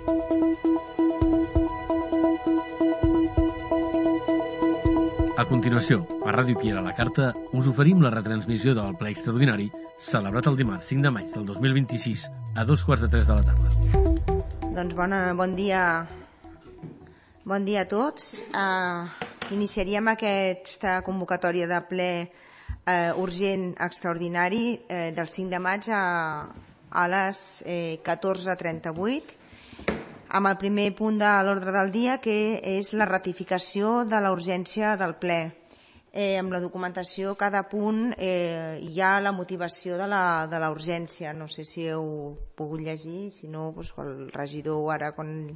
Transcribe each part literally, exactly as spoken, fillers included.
A continuació, a Ràdio Piera a la Carta, us oferim la retransmissió del ple extraordinari celebrat el dimarts cinc de maig del dos mil vint-i-sis a dos quarts de tres de la tarda. Doncs bona, bon dia bon dia a tots. Uh, iniciaríem aquesta convocatòria de ple uh, urgent extraordinari uh, del cinc de maig a, a les eh, catorze trenta-vuit amb el primer punt de l'ordre del dia, que és la ratificació de la urgència del ple. Eh, amb la documentació, cada punt eh, hi ha la motivació de la, de la urgència. No sé si heu pogut llegir, si no, doncs, el regidor ara, quan,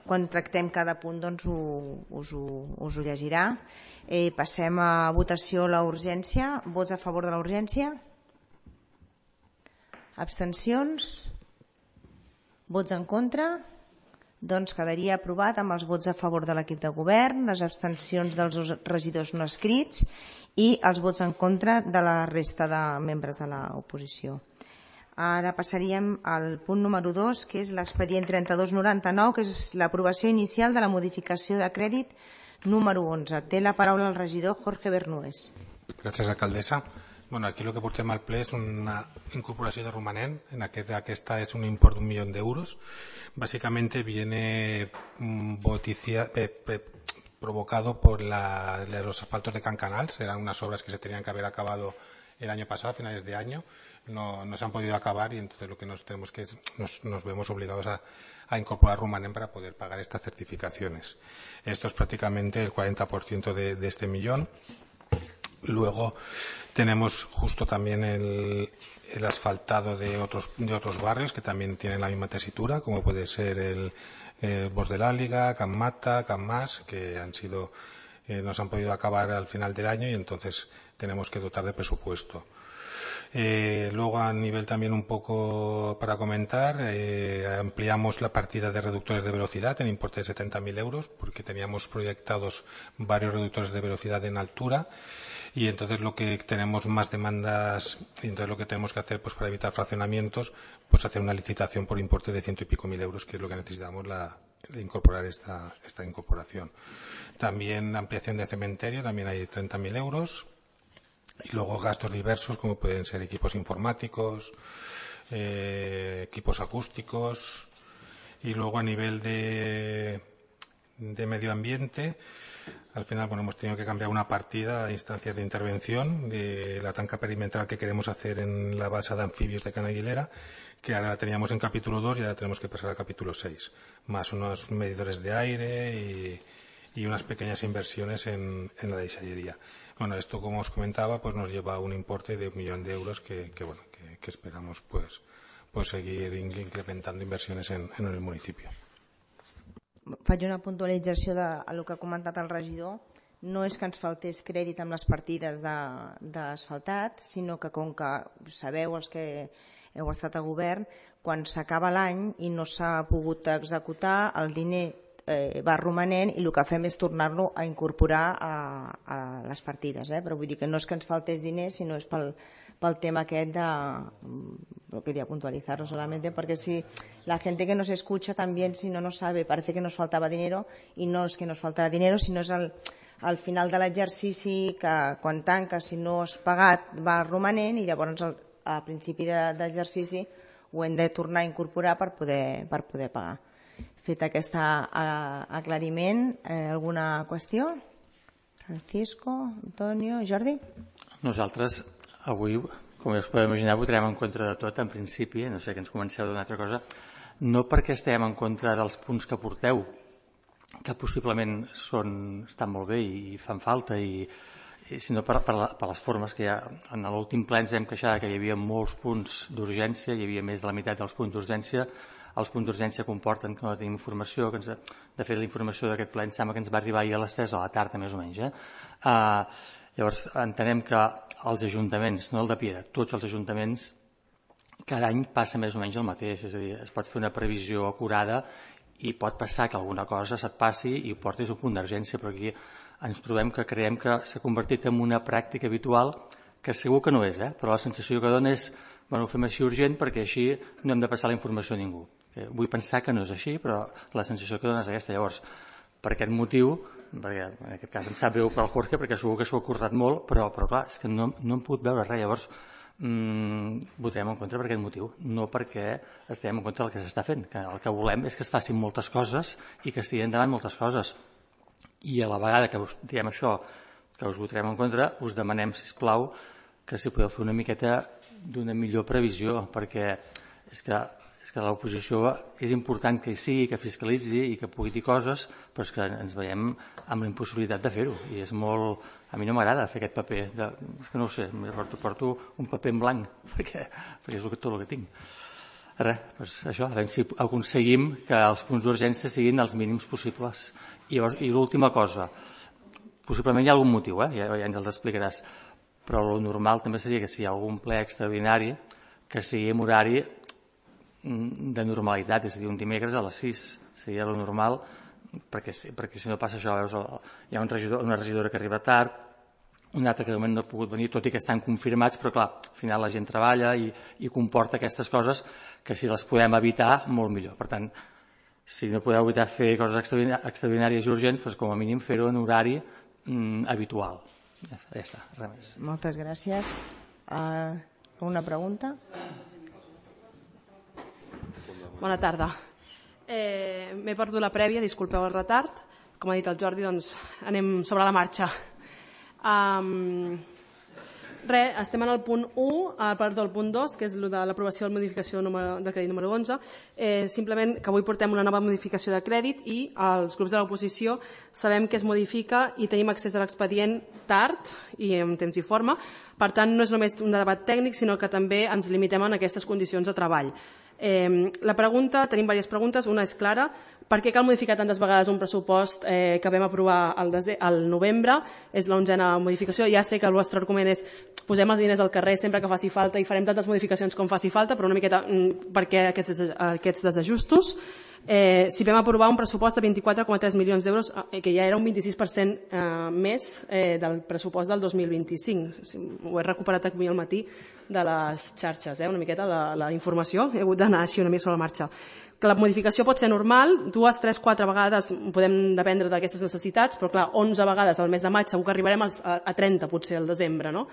quan tractem cada punt, doncs, ho, us, ho, us ho llegirà. Eh, passem a votació la urgència. Vots a favor de la urgència? Abstencions? Vots en contra? Doncs quedaria aprovat amb els vots a favor de l'equip de govern, les abstencions dels regidors no escrits i els vots en contra de la resta de membres de l'oposició. Ara passaríem al punt número dos, que és l'expedient trenta-dos noranta-nou, que és l'aprovació inicial de la modificació de crèdit número onze. Té la paraula el regidor Jorge Bernués. Gràcies, alcaldessa. Bueno, aquí lo que portem al ple és una incorporació de romanent. En aquest, aquesta és un import d'un milió d'euros. Básicamente viene boticia, pe, pe, provocado por la, los asfaltos de Cancanals. Eran unas obras que se tenían que haber acabado el año pasado, a finales de año. No, no se han podido acabar y entonces lo que nos tenemos que es, nos, nos vemos obligados a, a incorporar romanent para poder pagar estas certificaciones. Esto es prácticamente el cuarenta por ciento de, de este millón. Luego tenemos justo también el, el asfaltado de otros, de otros barrios que también tienen la misma tesitura, como puede ser el, el Bos de l'Àliga, Can Mata, Can Mas, que han sido, eh, nos han podido acabar al final del año y entonces tenemos que dotar de presupuesto. Eh, luego, a nivel también un poco para comentar, eh, ampliamos la partida de reductores de velocidad en importe de setenta mil euros, porque teníamos proyectados varios reductores de velocidad en altura. Y entonces lo que tenemos más demandas, y entonces lo que tenemos que hacer, pues para evitar fraccionamientos, pues hacer una licitación por importe de ciento y pico mil euros, que es lo que necesitamos la, de incorporar esta, esta incorporación. También ampliación de cementerio, también hay treinta mil euros. Y luego gastos diversos, como pueden ser equipos informáticos, eh, equipos acústicos. Y luego a nivel de, de medio ambiente, al final, bueno, hemos tenido que cambiar una partida a instancias de intervención de la tanca perimetral que queremos hacer en la base de anfibios de Can Aguilera, que ahora la teníamos en capítulo dos y ahora tenemos que pasar a capítulo seis, más unos medidores de aire y, y unas pequeñas inversiones en, en la deixallería. Bueno, esto, como os comentaba, pues nos lleva a un importe de un millón de euros que, que bueno, que, que esperamos pues, pues seguir incrementando inversiones en, en el municipio. Faig una puntualització de el que ha comentat el regidor. No és que ens faltés crèdit amb les partides d'asfaltat, sinó que, com que sabeu els que heu estat a govern, quan s'acaba l'any i no s'ha pogut executar, el diner eh, va romanent i el que fem és tornar-lo a incorporar a, a les partides. Eh? Però vull dir que no és que ens faltés diners, sinó és pel, pel tema aquest de... Lo quería puntualizarlo solamente porque si la gente que nos escucha también, si no nos sabe, parece que nos faltaba dinero y no es que nos faltara dinero, sinó és al, al final de l'exercici que quan tanca, si no has pagat, va romanent i llavors al, a principi de, d'exercici ho hem de tornar a incorporar per poder, per poder pagar. Fet aquest aclariment, eh, alguna qüestió? Francisco, Antonio, Jordi? Nosaltres avui, com ja us podeu imaginar, votarem en contra de tot, en principi, no sé que ens comenceu d'una altra cosa, no perquè estem en contra dels punts que porteu, que possiblement són, estan molt bé i fan falta, i, i sinó per, per, la, per les formes que hi ha. En l'últim ple ens hem queixat que hi havia molts punts d'urgència, hi havia més de la meitat dels punts d'urgència. Els punts d'urgència comporten que no tenim informació, que ens, de fet la informació d'aquest ple em sembla que ens va arribar ahir a les tres a la tarda, més o menys. Eh? Uh, Llavors, entenem que els ajuntaments, no el de Piera, tots els ajuntaments, cada any passa més o menys el mateix. És a dir, es pot fer una previsió acurada i pot passar que alguna cosa se't passi i ho portis a un punt d'urgència, però aquí ens trobem que creiem que s'ha convertit en una pràctica habitual, que segur que no és, eh? Però la sensació que dona és, bueno, ho fem així urgent perquè així no hem de passar la informació a ningú. Vull pensar que no és així, però la sensació que dona és aquesta. Llavors, per aquest motiu, perquè en aquest cas em sap greu pel Jorge, perquè segur que s'ho ha currat molt, però, però clar, és que no, no hem pogut veure res. Llavors, mmm, votem en contra per aquest motiu, no perquè estem en contra del que s'està fent, que el que volem és que es facin moltes coses i que estiguin endavant moltes coses. I a la vegada que us diem això, que us votarem en contra, us demanem, sisplau, que si podeu fer una miqueta d'una millor previsió, perquè és que és que l'oposició és important que hi sigui, que fiscalitzi i que pugui dir coses, però és que ens veiem amb la impossibilitat de fer-ho. I és molt... A mi no m'agrada fer aquest paper. De... És que no ho sé, porto, porto un paper en blanc, perquè, perquè és tot el que tinc. Res, doncs això, a veure si aconseguim que els punts d'urgència siguin els mínims possibles. I, llavors, i l'última cosa, possiblement hi ha algun motiu, eh? ja, ja ens els explicaràs, però el normal també seria que si hi ha algun ple extraordinari, que sigui en horari de normalitat, és a dir, un dimecres a les sis seria el normal, perquè, perquè si no passa això, veus, hi ha un regidor, una regidora que arriba tard, un altre que de moment no ha pogut venir, tot i que estan confirmats, però clar, al final la gent treballa i, i comporta aquestes coses que si les podem evitar, molt millor. Per tant, si no podeu evitar fer coses extraordinàries i urgents, doncs com a mínim fer-ho en horari mm, habitual. Ja, ja està, res més. Moltes gràcies. Uh, una pregunta? Bona tarda. Eh, M'he perdut la prèvia, disculpeu el retard. Com ha dit el Jordi, doncs anem sobre la marxa. Um, res, estem en el punt u, a part del punt dos, que és el de l'aprovació de la modificació del crèdit número onze. Eh, simplement que avui portem una nova modificació de crèdit i els grups de l'oposició sabem que es modifica i tenim accés a l'expedient tard i en temps i forma. Per tant, no és només un debat tècnic, sinó que també ens limitem en aquestes condicions de treball. Eh, la pregunta, tenim diverses preguntes, una és clara, per què cal modificar tantes vegades un pressupost eh, que vam aprovar al, al novembre? És l'onzena modificació, ja sé que el vostre argument és posem els diners al carrer sempre que faci falta i farem tantes modificacions com faci falta, però una miqueta mm, per què aquests, aquests desajustos? Eh, si vam aprovar un pressupost de vint-i-quatre coma tres milions d'euros, eh, que ja era un vint-i-sis per cent eh, més eh, del pressupost del dos mil vint-i-cinc. Ho he recuperat avui al matí de les xarxes, eh, una miqueta la, la informació, he hagut d'anar així una mica sobre la marxa. Que la modificació pot ser normal, dues, tres, quatre vegades podem dependre d'aquestes necessitats, però clar, onze vegades al mes de maig segur que arribarem a, a trenta potser al desembre, no?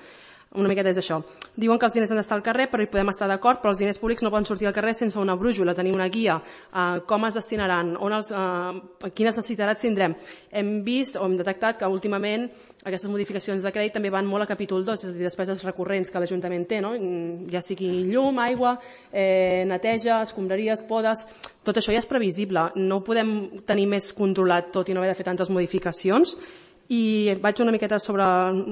Una miqueta és això. Diuen que els diners han d'estar al carrer, però hi podem estar d'acord, però els diners públics no poden sortir al carrer sense una brújula, tenir una guia, eh, com es destinaran, on els, eh, quines necessitats tindrem. Hem vist o hem detectat que últimament aquestes modificacions de crèdit també van molt a capítol dos, és a dir, despeses recurrents que l'Ajuntament té, no? Ja sigui llum, aigua, eh, neteja, escombraries, podes, tot això ja és previsible. No podem tenir més controlat tot i no haver de fer tantes modificacions. I vaig una miqueta sobre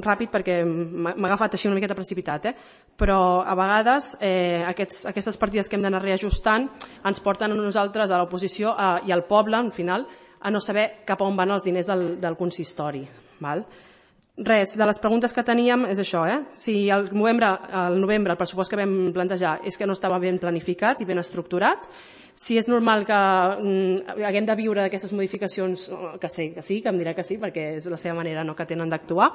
ràpid perquè m'ha agafat així una miqueta precipitat, eh? Però a vegades eh, aquests, aquestes partides que hem d'anar reajustant ens porten a nosaltres, a l'oposició i al poble, al final, a no saber cap a on van els diners del, del consistori. Val? Res, de les preguntes que teníem és això, eh? Si al novembre, al novembre el pressupost que vam plantejar és que no estava ben planificat i ben estructurat, si és normal que mm, haguem de viure d'aquestes modificacions, que sí, que sí, que em dirà que sí, perquè és la seva manera no, que tenen d'actuar.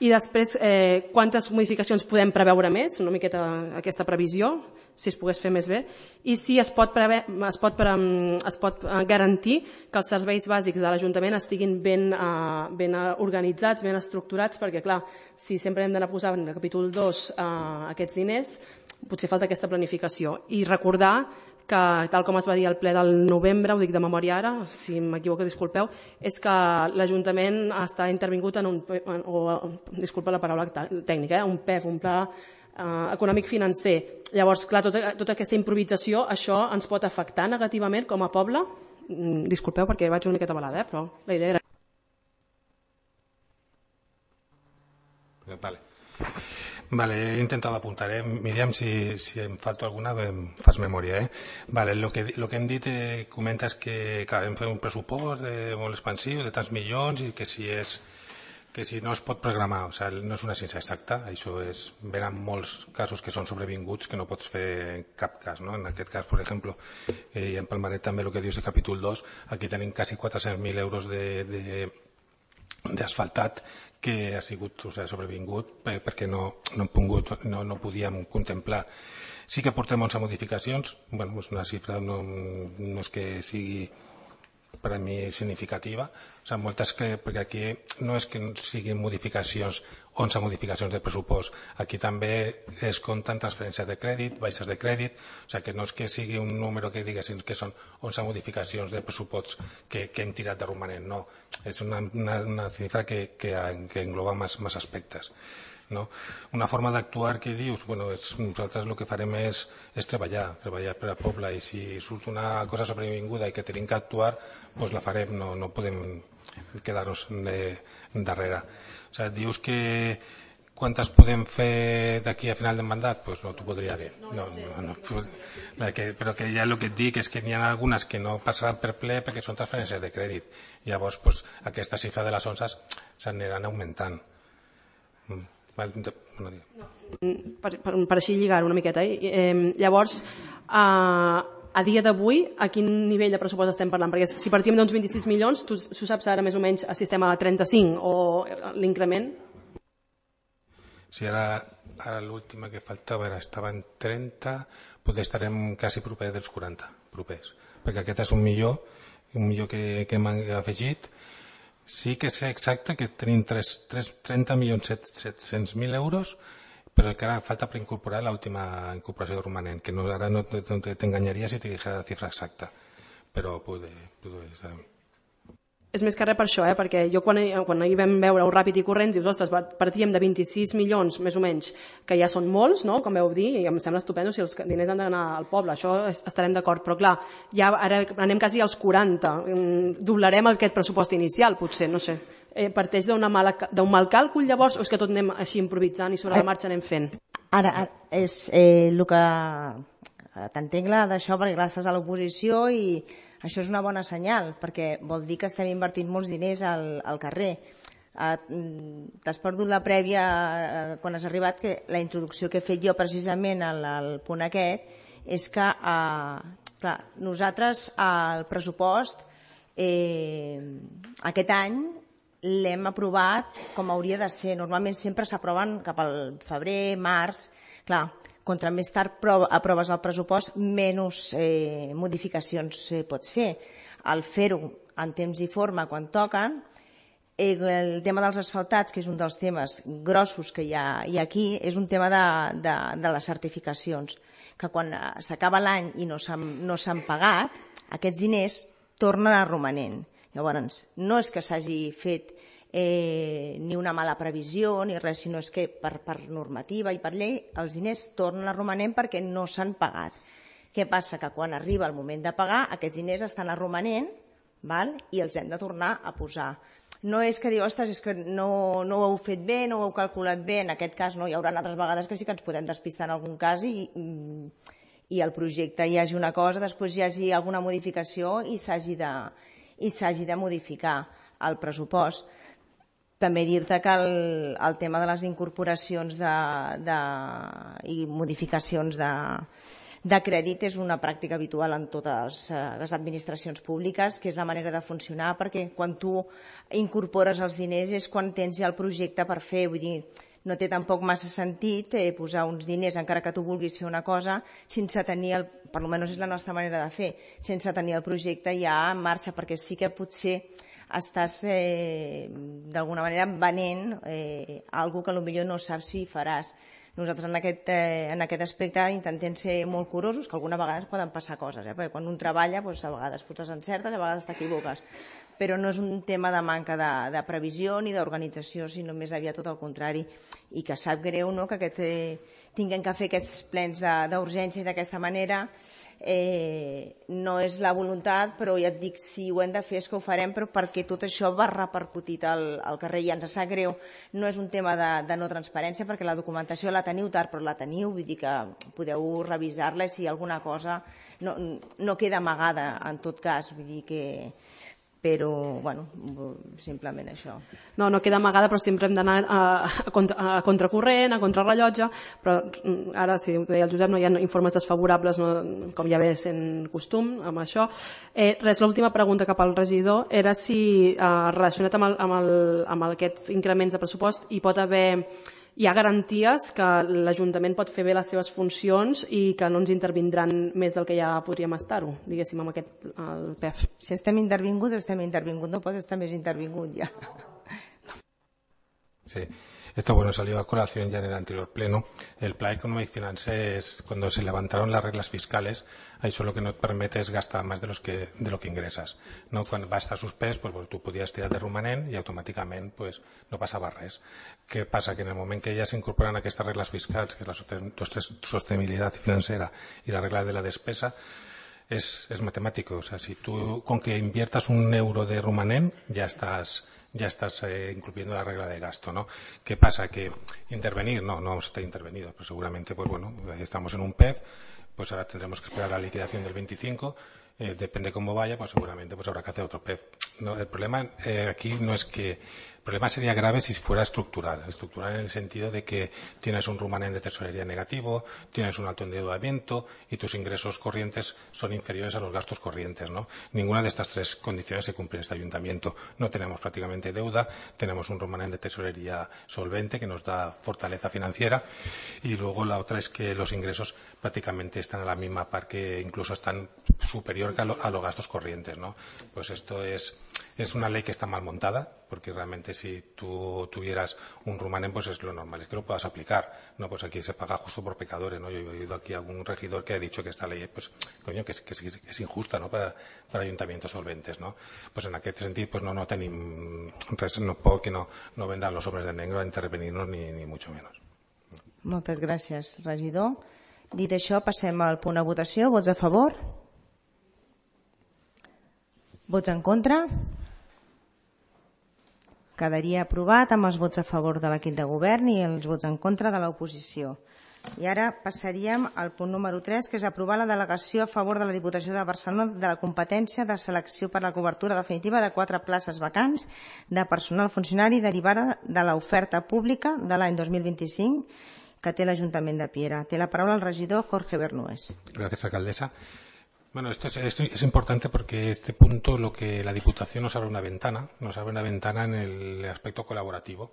I després, eh, quantes modificacions podem preveure més, una miqueta aquesta previsió, si es pogués fer més bé, i si es pot, preve, es pot, es pot garantir que els serveis bàsics de l'Ajuntament estiguin ben, uh, ben organitzats, ben estructurats, perquè clar, si sempre hem d'anar posant en el capítol dos uh, aquests diners, potser falta aquesta planificació. I recordar que, tal com es va dir al ple del novembre, ho dic de memòria ara, si m'equivoco disculpeu, és que l'Ajuntament està intervingut en un, o, disculpa la paraula tècnica, eh, un P E F, un pla eh, econòmic financer. Llavors, clar, tota, tota aquesta improvisació, això ens pot afectar negativament com a poble? Disculpeu perquè vaig una miqueta balada, eh, però la idea era... Vale. Vale, he intentado apuntar, eh? Miriam, si, si em falta alguna, em fas memòria, eh? Vale, lo que, lo que hem dit, eh, comentes que, clar, hem fet un pressupost de molt expansiu, de tants milions, i que si és, que si no es pot programar, o sigui, no és una ciència exacta, això és, venen molts casos que són sobrevinguts que no pots fer en cap cas, no? En aquest cas, per exemple, eh, i empalmaré també el que dius de capítol dos, aquí tenim quasi quatre-cents mil euros de, de d'asfaltat que ha sigut, o sigui, sobrevingut perquè no, no, hem pogut, no, no podíem contemplar. Sí que portem onze modificacions, bueno, és una xifra no, no és que sigui per a mi significativa, o sigui, moltes que, perquè aquí no és que siguin modificacions, onze modificacions de pressupost, aquí també es compten transferències de crèdit, baixes de crèdit, o sigui, que no és que sigui un número que diguessin que són onze modificacions de pressupost que, que hem tirat de romanent, no, és una, una, una xifra que, que, que engloba més, més aspectes. No? Una forma d'actuar que dius, bueno, és, nosaltres el que farem és, és treballar, treballar per al poble, i si surt una cosa sobrevinguda i que tenim que actuar, doncs la farem, no, no podem quedar-nos darrere. O sigui, dius que quantes podem fer d'aquí a final del mandat? Doncs no t'ho podria dir. No, no, no, perquè, però que ja el que et dic és que n'hi ha algunes que no passaran per ple perquè són transferències de crèdit. Llavors, doncs, aquesta xifra de les onces s'aniran augmentant. Mm. No, per, per, per així lligar una miqueta, eh? Eh, llavors eh, a dia d'avui a quin nivell de pressupost estem parlant? Perquè si partim d'uns vint-i-sis milions, tu, tu saps ara més o menys el sistema de trenta-cinc o l'increment? Si ara, ara l'última que faltava era, estava en trenta, potser estarem quasi proper dels quaranta propers, perquè aquest és un millor un millor que, que hem afegit. Sí que sé exacte que tenim trenta milions set-cents mil euros, però que ara falta per incorporar l'última incorporació de romanent, que no, ara no t'enganyaria si te dijera la xifra exacta, però puede, puede estar. És més que res per això, eh? Perquè jo quan, quan hi vam veure el Ràpid i Corrents, dius, ostres, partíem de vint-i-sis milions, més o menys, que ja són molts, no?, com vau dir, i em sembla estupendo si els diners han d'anar al poble, això estarem d'acord, però clar, ja ara anem quasi als quaranta, doblarem aquest pressupost inicial, potser, no sé. Eh, parteix d'un mal càlcul, llavors, o és que tot anem així improvisant i sobre la marxa anem fent? Ara, ara és eh, el que t'entenc d'això, perquè clar, estàs a l'oposició i això és una bona senyal, perquè vol dir que estem invertint molts diners al, al carrer. Eh, T'has perdut la prèvia eh, quan has arribat, que la introducció que he fet jo precisament al, al punt aquest és que eh, clar, nosaltres el pressupost eh, aquest any l'hem aprovat com hauria de ser. Normalment sempre s'aproven cap al febrer, març. Clar, contra més tard aproves el pressupost, menys eh, modificacions eh, pots fer. Al fer-ho en temps i forma quan toquen, eh, el tema dels asfaltats, que és un dels temes grossos que hi ha, hi ha aquí, és un tema de, de, de les certificacions, que quan s'acaba l'any i no s'han no s'han pagat, aquests diners tornen a romanent. Llavors, no és que s'hagi fet Eh, ni una mala previsió ni res, sinó és que per, per normativa i per llei els diners tornen a romanent perquè no s'han pagat. Què passa? Que quan arriba el moment de pagar aquests diners estan a romanent, val? I els hem de tornar a posar. No és que diu, ostres, és que no, no ho heu fet bé, no ho heu calculat bé, en aquest cas no, hi haurà altres vegades que sí que ens podem despistar en algun cas i, i el projecte hi hagi una cosa, després hi hagi alguna modificació i s'hagi de, i s'hagi de modificar el pressupost. També dir-te que el, el tema de les incorporacions de, de, i modificacions de, de crèdit és una pràctica habitual en totes les administracions públiques, que és la manera de funcionar, perquè quan tu incorpores els diners és quan tens ja el projecte per fer. Vull dir, no té tampoc massa sentit eh, posar uns diners, encara que tu vulguis fer una cosa, sense tenir, el, per almenys és la nostra manera de fer, sense tenir el projecte ja en marxa, perquè sí que potser estàs eh, d'alguna manera venent eh, algo que potser no saps si faràs. Nosaltres en aquest, eh, en aquest aspecte intentem ser molt curosos, que alguna vegades poden passar coses, eh? Perquè quan un treballa doncs, a vegades potser encertes, a vegades t'equivoques, però no és un tema de manca de, de previsió ni d'organització, sinó més aviat tot el contrari, i que sap greu, no?, que aquest, eh, tinguem que fer aquests plens d'urgència i d'aquesta manera. Eh, no és la voluntat, però ja et dic, si ho hem de fer és que ho farem, però perquè tot això va repercutit al, al carrer i ens sap greu. No és un tema de, de no transparència, perquè la documentació la teniu tard, però la teniu, vull dir que podeu revisar-la i si alguna cosa no, no queda amagada en tot cas, vull dir que però, bueno, simplement això. No, no queda amagada, però sempre hem d'anar a, a, contra, a contracorrent, a contrarrellotge, però ara, si ho deia el Josep, no hi ha informes desfavorables, no, com ja ve sent costum amb això. Eh, res, l'última pregunta cap al regidor era si, eh, relacionat amb, el, amb, el, amb aquests increments de pressupost, hi pot haver... Hi ha garanties que l'Ajuntament pot fer bé les seves funcions i que no ens intervindran més del que ja podríem estar-ho, diguéssim, amb aquest el P E F. Si estem intervinguts, estem intervinguts, no pots estar més intervingut ja. Sí, esto bueno salió a colación ya en el anterior pleno. El Plan Económico y Financiero es cuando se levantaron las reglas fiscales, ahí solo que no te permite es gastar más de los que de lo que ingresas, no cuando va a estar suspès, pues, pues tú podías tirar de romanent y automáticamente pues no pasaba res. ¿Qué pasa? Que en el momento que ya se incorporan a estas reglas fiscales, que es la sostenibilidad financiera y la regla de la despesa, es, es matemático. O sea, si tú con que inviertas un euro de romanent ya estás ya estás eh, incluyendo la regla de gasto, ¿no? ¿Qué pasa? Que intervenir, no, no está intervenido, pues seguramente, pues bueno, estamos en un P E F, pues ahora tendremos que esperar la liquidación del veinticinco, eh, depende cómo vaya, pues seguramente pues habrá que hacer otro P E F. No, el problema eh, aquí no es que... El problema sería grave si fuera estructural. Estructural en el sentido de que tienes un remanente de tesorería negativo, tienes un alto endeudamiento y tus ingresos corrientes son inferiores a los gastos corrientes, ¿no? Ninguna de estas tres condiciones se cumple en este ayuntamiento. No tenemos prácticamente deuda, tenemos un remanente de tesorería solvente que nos da fortaleza financiera y luego la otra es que los ingresos prácticamente están a la misma par, que incluso están superior a, lo, a los gastos corrientes, ¿no? Pues esto es, es una ley que está mal montada, porque realmente si tú tuvieras un rumanén, pues es lo normal, es que lo puedas aplicar, ¿no? Pues aquí se paga justo por pecadores, ¿no? Yo he oído aquí a algún regidor que ha dicho que esta ley, pues, coño, que es, que es, que es injusta, ¿no? Para, para ayuntamientos solventes, ¿no? Pues en aquest sentit, pues no, no tenim res, no puedo que no, no vendan los hombres de negro a intervenirnos ni, ni mucho menos. Moltes gràcies, regidor. Dit això, passem al punt de votació. Vots a favor? Vots en contra? Quedaria aprovat amb els vots a favor de l'equip de govern i els vots en contra de l'oposició. I ara passaríem al punt número tres, que és aprovar la delegació a favor de la Diputació de Barcelona de la competència de selecció per la cobertura definitiva de quatre places vacants de personal funcionari derivada de l'oferta pública de l'any dos mil vint-i-cinc que té l'Ajuntament de Piera. Té la paraula el regidor Jorge Bernués. Gracias, alcaldesa. Bueno, esto es, esto es importante porque este punto lo que la Diputación nos abre una ventana, nos abre una ventana en el aspecto colaborativo.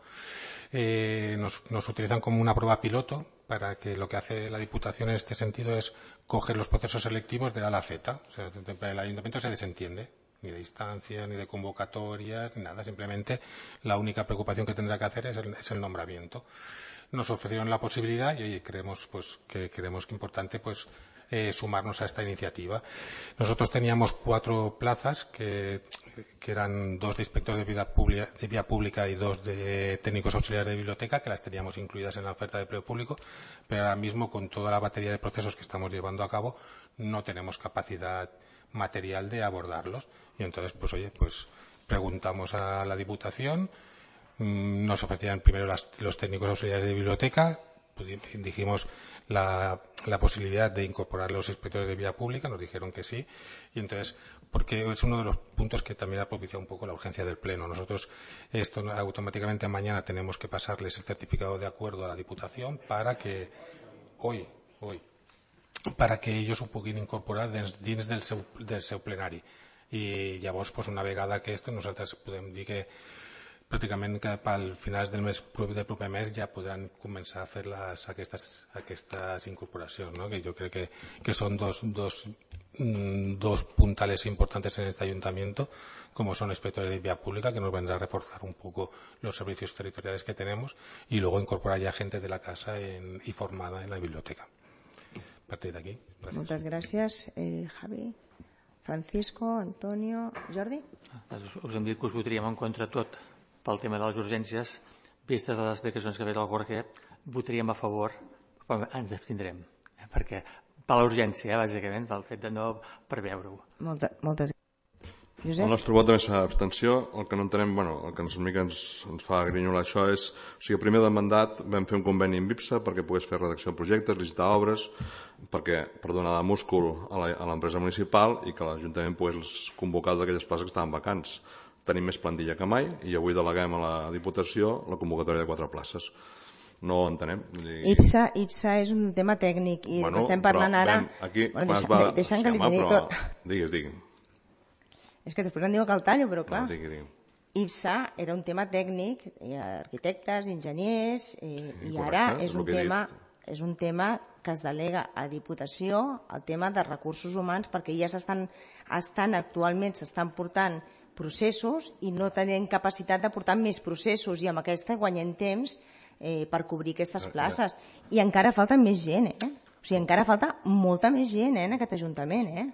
Eh, nos, nos utilizan como una prueba piloto para que lo que hace la Diputación en este sentido es coger los procesos selectivos de A a la Z. O sea, el Ayuntamiento se desentiende, ni de instancia, ni de convocatorias, ni nada. Simplemente la única preocupación que tendrá que hacer es el, es el nombramiento. Nos ofrecieron la posibilidad y oye, creemos pues que creemos que es importante pues eh, sumarnos a esta iniciativa. Nosotros teníamos cuatro plazas que, que eran dos de inspectores de vía pública, de vía pública y dos de técnicos auxiliares de biblioteca, que las teníamos incluidas en la oferta de empleo público, pero ahora mismo con toda la batería de procesos que estamos llevando a cabo no tenemos capacidad material de abordarlos y entonces pues oye pues preguntamos a la Diputación. Nos ofrecían primero las, los técnicos auxiliares de biblioteca, pues dijimos la, la posibilidad de incorporar los inspectores de vía pública, nos dijeron que sí, y entonces, porque es uno de los puntos que también ha propiciado un poco la urgencia del Pleno. Nosotros, esto automáticamente mañana tenemos que pasarles el certificado de acuerdo a la Diputación para que, hoy, hoy, para que ellos ho puguin incorporar dins, dins del, seu, del seu plenari. I llavors, pues, una vegada que esto, nosaltres podem dir que pràcticament cap al final del mes del proper mes ja podran començar a fer les, aquestes, aquestes incorporacions, ¿no? Que yo creo que, que son dos, dos, dos puntales importantes en este ayuntamiento, como son inspectores de vía pública, que nos vendrá a reforzar un poco los servicios territoriales que tenemos, y luego incorporar ya gente de la casa en, y formada en la biblioteca. A partir de aquí. Gràcies. Moltes gràcies, eh, Javi. Francisco, Antonio, Jordi? Us hem dit que us votaríem en contra tot pel tema de les urgències, vistes les explicacions que ha fet el Jorge, votaríem a favor, però ens abstindrem, eh? Perquè per l'urgència, eh, bàsicament, pel fet de no preveure-ho. Molta, moltes El nostre vot també serà d'abstenció. El que no entenem, bueno, el que ens, una mica ens, ens fa grinyolar això és, o sigui, primer del mandat vam fer un conveni amb I P S A perquè pogués fer redacció de projectes, licitar obres, perquè, per donar de múscul a l'empresa municipal i que l'Ajuntament pogués convocar aquelles places que estaven vacants. Tenim més plantilla que mai i avui deleguem a la Diputació la convocatòria de quatre places. No ho entenem. I P S A, I P S A és un tema tècnic i bueno, estem parlant ara... Aquí, bueno, deixa, va... deixant que li digui tot. Digues, digues. És que després em diu que el tallo, però clar. No, digui, digui. I P S A era un tema tècnic, arquitectes, enginyers, i, i correcte, ara és un, tema, és un tema que es delega a Diputació, el tema de recursos humans, perquè ja s'estan estan actualment s'estan portant processos i no tenen capacitat de portar més processos i amb aquesta guanyem temps Eh, per cobrir aquestes places. I encara falta més gent, eh? O sigui, encara falta molta més gent eh, en aquest Ajuntament, eh?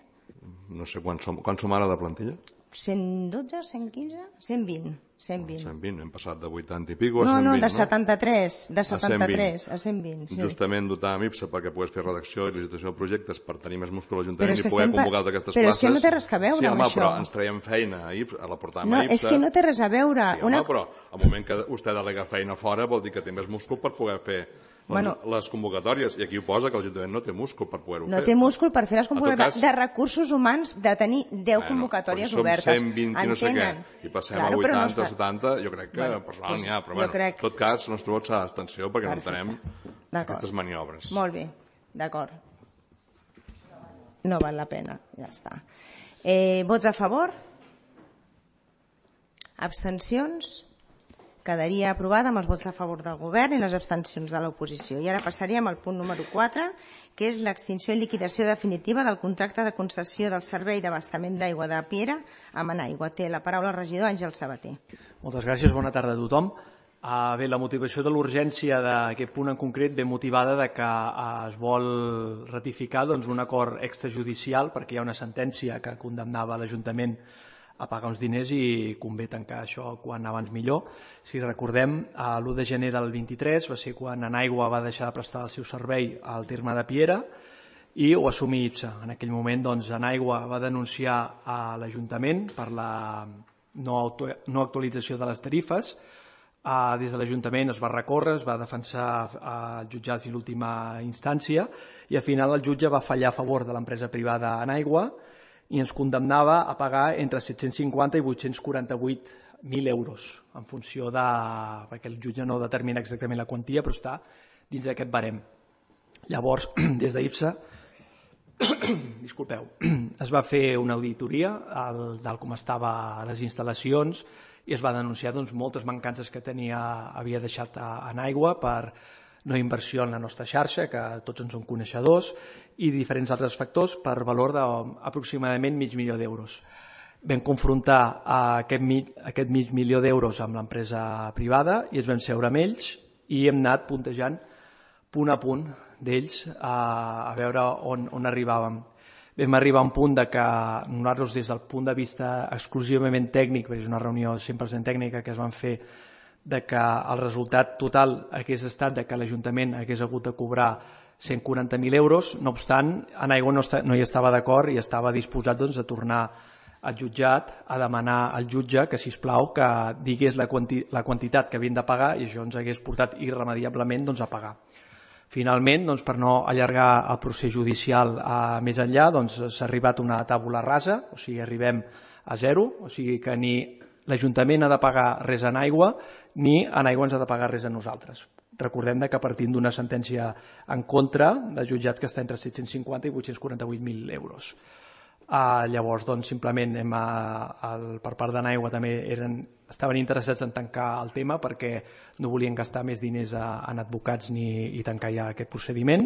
No sé quan som, quan som ara de plantilla? cent dotze, cent quinze, cent vint. cent vint. cent vint, hem passat de vuitanta i pico a no, cent vint, no? No, de setanta-tres, de setanta-tres a cent vint. Sí. Justament dotar amb I P S A perquè pogués fer redacció i licitació de projectes per tenir més múscul a l'Ajuntament i poder convocar pa... aquestes però places. Però és que no té res a veure sí, home, amb això. Però ens traiem feina a, I P S A, a la portàvem no, a I P S A. És que no té res a veure. Sí, home, Una... però al moment que vostè delega feina fora vol dir que té més múscul per poder fer bueno, les convocatòries, i aquí ho posa que l'Ajuntament no té múscul per poder-ho no fer. No té múscul per fer les convocatòries. Cas, de recursos humans, de tenir deu bueno, convocatòries obertes. Som cent vint i no sé què, i passem claro, a vuitanta, no setanta, jo crec que bueno, personal n'hi ha, però bueno, crec... en tot cas, el nostre vot serà d'abstenció perquè Perfecte. No entenem aquestes maniobres. Molt bé, d'acord. No val la pena, ja està. Eh, vots a favor? Abstencions? Quedaria aprovada amb els vots a favor del govern i les abstencions de l'oposició. I ara passaríem al punt número quatre, que és l'extinció i liquidació definitiva del contracte de concessió del servei d'abastament d'aigua de Piera amb Enaigua. Té la paraula el regidor Àngel Sabater. Moltes gràcies, bona tarda a tothom. Uh, bé, la motivació de l'urgència d'aquest punt en concret ve motivada de que uh, es vol ratificar doncs, un acord extrajudicial perquè hi ha una sentència que condemnava l'Ajuntament a pagar uns diners i convé tancar això quan abans millor. Si recordem, l'u de gener del vint-i-tres va ser quan Enaigua va deixar de prestar el seu servei al terme de Piera i ho assumí I P S A. En aquell moment, doncs, Enaigua va denunciar a l'Ajuntament per la no, auto, no actualització de les tarifes. Uh, des de l'Ajuntament es va recórrer, es va defensar al jutjat fins a l'última instància i al final el jutge va fallar a favor de l'empresa privada Enaigua i ens condemnava a pagar entre set-cents cinquanta i vuit-cents quaranta-vuit mil euros, en funció de... perquè el jutge no determina exactament la quantia, però està dins d'aquest barem. Llavors, des d'I P S A, disculpeu, es va fer una auditoria al, del com estava les instal·lacions i es va denunciar doncs, moltes mancances que tenia, havia deixat en aigua per no inversió en la nostra xarxa, que tots en som coneixedors, i diferents altres factors per valor d'aproximadament mig milió d'euros. Vam confrontar aquest mig, aquest mig milió d'euros amb l'empresa privada i ens vam seure amb ells i hem anat puntejant punt a punt d'ells a, a veure on, on arribàvem. Vam arribar a un punt de que nosaltres des del punt de vista exclusivament tècnic, perquè és una reunió cent per cent tècnica que es van fer, de que el resultat total hagués estat de que l'Ajuntament hagués hagut de cobrar cent quaranta mil euros, no obstant, Enaigua no, no hi estava d'acord i estava disposat doncs, a tornar al jutjat a demanar al jutge que, sisplau, que digués la, quanti la quantitat que havien de pagar i això ens hagués portat irremediablement doncs, a pagar. Finalment, doncs, per no allargar el procés judicial a més enllà, doncs, s'ha arribat a una tàbula rasa, o sigui, arribem a zero, o sigui que ni l'Ajuntament ha de pagar res en aigua ni en aigua ens ha de pagar res a nosaltres. Recordem que partint d'una sentència en contra del jutjat que està entre set-cents cinquanta i vuit-cents quaranta-vuit mil euros. Uh, llavors, doncs, simplement hem, uh, el, per part d'Enaigua també eren, estaven interessats en tancar el tema perquè no volien gastar més diners a, en advocats ni i tancar ja aquest procediment.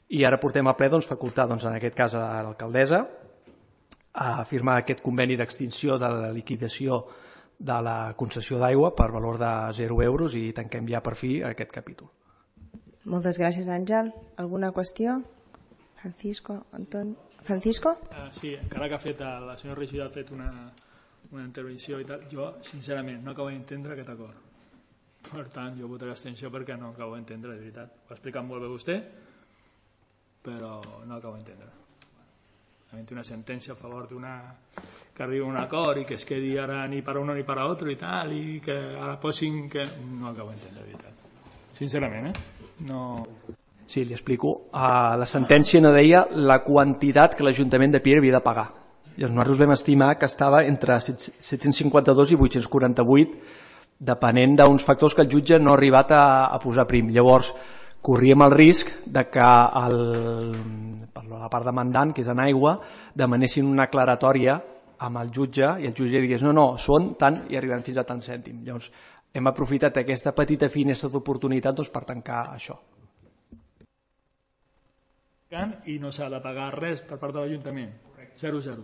I ara portem a ple doncs, facultar, doncs, en aquest cas, a l'alcaldessa a firmar aquest conveni d'extinció de la liquidació de la concessió d'aigua per valor de zero euros i tanquem ja per fi aquest capítol. Moltes gràcies, Àngel. Alguna qüestió? Francisco, Anton... Francisco? Uh, sí, encara que ha fet, la senyora regidora ha fet una, una intervenció i tal, jo, sincerament, no acabo d'entendre aquest acord. Per tant, jo votaré abstenció perquè no acabo d'entendre, de veritat. Ho ha explicat molt bé vostè, però no acabo d'entendre. Una sentència a favor d'una que arribi a un acord i que es quedi ara ni per uno ni per otro i tal, i que ara posin que... No acabo d'entendre, de veritat. Sincerament, eh? No... Sí, li explico. Uh, la sentència no deia la quantitat que l'Ajuntament de Piera havia de pagar. I nosaltres vam estimar que estava entre set-cents cinquanta-dos i vuit-cents quaranta-vuit, depenent d'uns factors que el jutge no ha arribat a, a posar prim. Llavors, corríem el risc de que el, per la part demandant, que és en aigua, demanessin una aclaratòria amb el jutge i el jutge digués no, no, són tant i arribem fins a tant cèntim. Llavors, hem aprofitat aquesta petita finestra d'oportunitat doncs, per tancar això. I no s'ha de pagar res per part de l'Ajuntament. zero zero.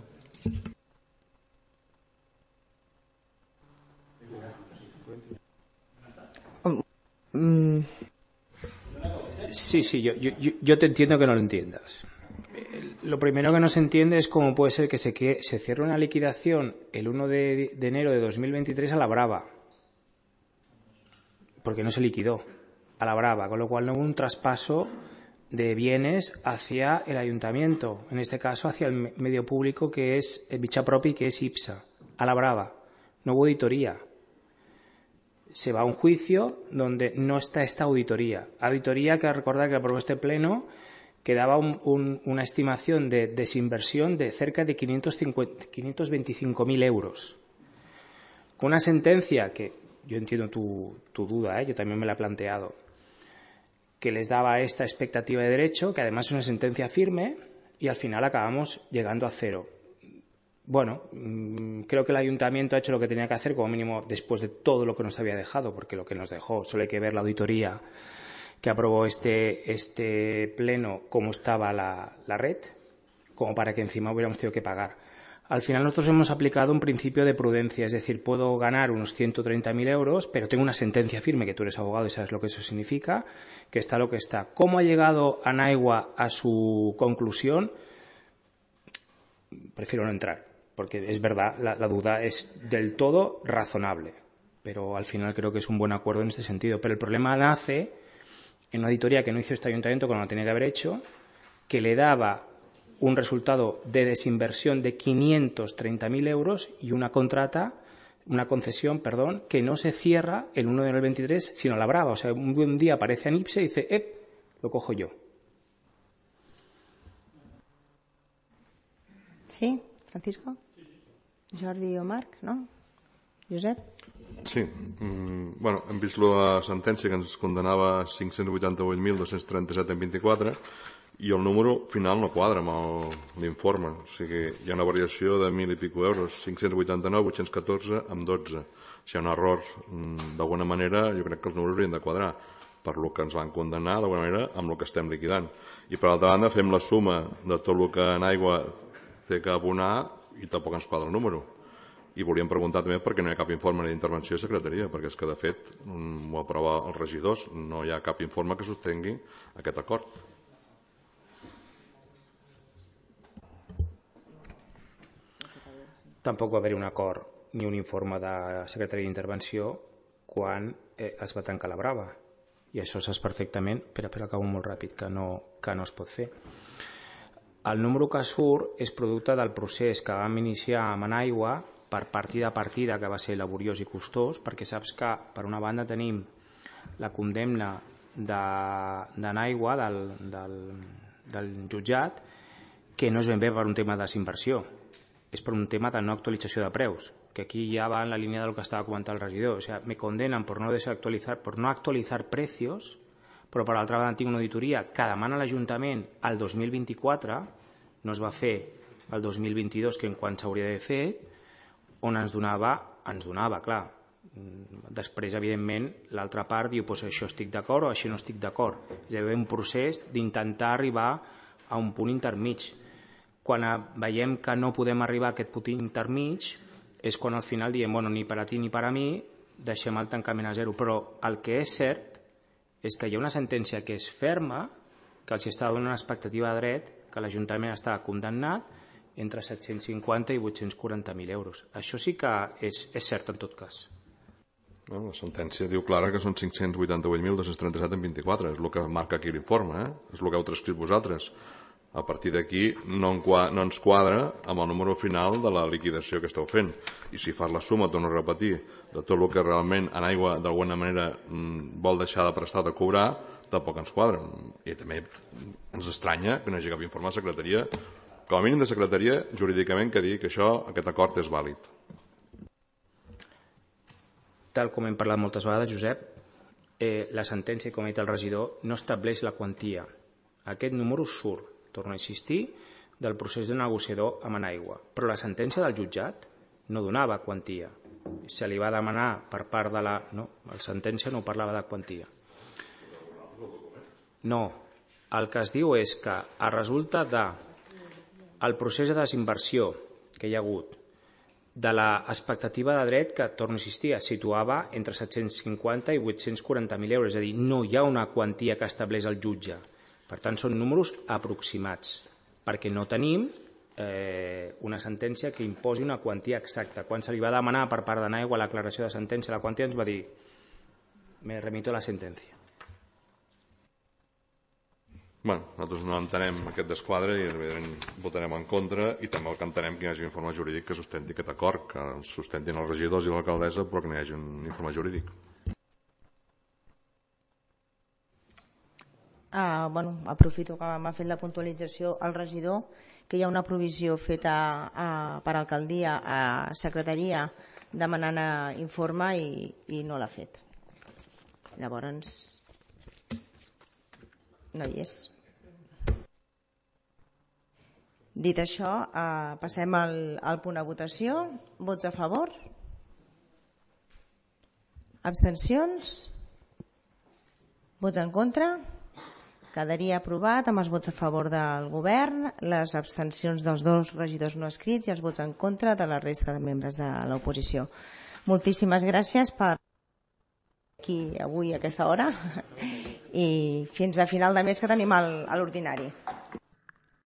Sí, sí, yo, yo, yo te entiendo que no lo entiendas. Lo primero que no se entiende es cómo puede ser que se, que se cierre una liquidación el uno de, de enero de dos mil veintitrés a la brava. Porque no se liquidó a la brava, con lo cual no hubo un traspaso de bienes hacia el ayuntamiento, en este caso hacia el medio público que es Bicha Propi, que es IPSA, a la brava. No hubo auditoría. Se va a un juicio donde no está esta auditoría. Auditoría que recordar que aprobó este pleno que daba un, un, una estimación de desinversión de cerca de quinientos veinticinco mil euros. Con una sentencia que, yo entiendo tu, tu duda, ¿eh? Yo también me la he planteado, que les daba esta expectativa de derecho, que además es una sentencia firme, y al final acabamos llegando a cero. Bueno, creo que el ayuntamiento ha hecho lo que tenía que hacer, como mínimo después de todo lo que nos había dejado, porque lo que nos dejó, solo hay que ver la auditoría que aprobó este, este pleno, cómo estaba la, la red, como para que encima hubiéramos tenido que pagar. Al final nosotros hemos aplicado un principio de prudencia, es decir, puedo ganar unos ciento treinta mil euros, pero tengo una sentencia firme, que tú eres abogado y sabes lo que eso significa, que está lo que está. ¿Cómo ha llegado Anaigua a su conclusión? Prefiero no entrar, porque es verdad, la, la duda es del todo razonable, pero al final creo que es un buen acuerdo en este sentido. Pero el problema nace en una auditoría que no hizo este ayuntamiento cuando lo tenía que haber hecho, que le daba un resultado de desinversión de quinientos treinta mil euros y una contrata, una concesión, perdón, que no se cierra el uno de enero del veintitrés, sino la brava. O sea, un buen día aparece Anipse y dice, ¡eh! Lo cojo yo. Sí, Francisco? Jordi o Marc, no? Josep? Sí, mm, bueno, hem vist la sentència que ens condenava a cinc-cents vuitanta-vuit mil dos-cents trenta-set en vint-i-quatre i el número final no quadra amb l'informe, o sigui, hi ha una variació de mil i pico euros, cinc-cents vuitanta-nou, vuit-cents catorze amb dotze. Si hi ha un error, d'alguna manera, jo crec que els números haurien de quadrar per lo que ens van condenar, d'alguna manera, amb el que estem liquidant. I per altra banda, fem la suma de tot el que en aigua té que abonar i tampoc ens quadra el número. I volíem preguntar també per què no hi ha cap informe d'intervenció de secretaria, perquè és que, de fet, ho aprova els regidors, no hi ha cap informe que sostengui aquest acord. Tampoc va haver un acord ni un informe de secretaria d'intervenció quan eh, es va tancar la brava. I això saps perfectament, però, però acabo molt ràpid, que no, que no es pot fer. El número que surt és producte del procés que vam iniciar amb Anaigua per partida a partida, que va ser laboriós i costós, perquè saps que, per una banda, tenim la condemna d'Anaigua, de, del, del, del jutjat, que no és ben bé per un tema de desinversió, és per un tema de no actualització de preus, que aquí ya va en la línea de lo que estaba comentando el regidor. O sea, me condenan por no desactualizar, por no actualizar precios, però per l'altra banda tinc una auditoria que demana l'Ajuntament al dos mil vint-i-quatre, no es va fer el dos mil vint-i-dos, que en quan s'hauria de fer, on ens donava, ens donava, clar. Després, evidentment, l'altra part diu, pues això estic d'acord o això no estic d'acord. És a dir, un procés d'intentar arribar a un punt intermig. Quan veiem que no podem arribar a aquest punt intermig és quan al final diem, bueno, ni per a ti ni per a mi, deixem el tancament a zero. Però el que és cert és que hi ha una sentència que és ferma, que els està donant una expectativa de dret, que l'Ajuntament està condemnat entre set-cents cinquanta i vuit-cents quaranta mil euros. Això sí que és, és cert en tot cas. No, la sentència diu clara que són cinc-cents vuitanta-vuit mil dos-cents trenta-set en vint-i-quatre, és el que marca aquí l'informe, eh? És el que heu transcrit vosaltres. A partir d'aquí no, no ens quadra amb el número final de la liquidació que esteu fent. I si fas la suma, torno a repetir, de tot el que realment en aigua d'alguna manera vol deixar de prestar de cobrar, tampoc ens quadra. I també ens estranya que no hi hagi cap informe de secretaria, com a mínim de secretaria, jurídicament, que digui que això, aquest acord és vàlid. Tal com hem parlat moltes vegades, Josep, eh, la sentència, com ha dit el regidor, no estableix la quantia. Aquest número surt, torno a insistir, del procés de negociador amb Enaigua. Però la sentència del jutjat no donava quantia. Se li va demanar per part de la... No, la sentència no parlava de quantia. No, el que es diu és que a resulta de el procés de desinversió que hi ha hagut, de l'expectativa de dret que, torno a insistir, es situava entre set-cents cinquanta i vuit-cents quaranta mil euros. És a dir, no hi ha una quantia que estableix el jutge. Per tant, són números aproximats, perquè no tenim eh, una sentència que imposi una quantia exacta. Quan se li va demanar per part d'Enaigua l'aclaració de sentència, la quantia ens va dir me remito a la sentència. Bé, nosaltres no entenem aquest desquadre i evidentment votarem en contra, i també el que entenem que hi hagi un informe jurídic que sustenti aquest acord, que el sustentin els regidors i l'alcaldessa, però que no hi hagi un informe jurídic. Ah, bueno, aprofito que m'ha fet la puntualització el regidor, que hi ha una provisió feta a, per alcaldia a secretaria demanant informe i, i no l'ha fet. Llavors, no hi és. Dit això, eh, passem al, al punt de votació. Vots a favor? Abstencions? Vots en contra? Quedaria aprovat amb els vots a favor del govern, les abstencions dels dos regidors no escrits i els vots en contra de la resta de membres de l'oposició. Moltíssimes gràcies per aquí avui a aquesta hora i fins a final de mes que tenim a l'ordinari.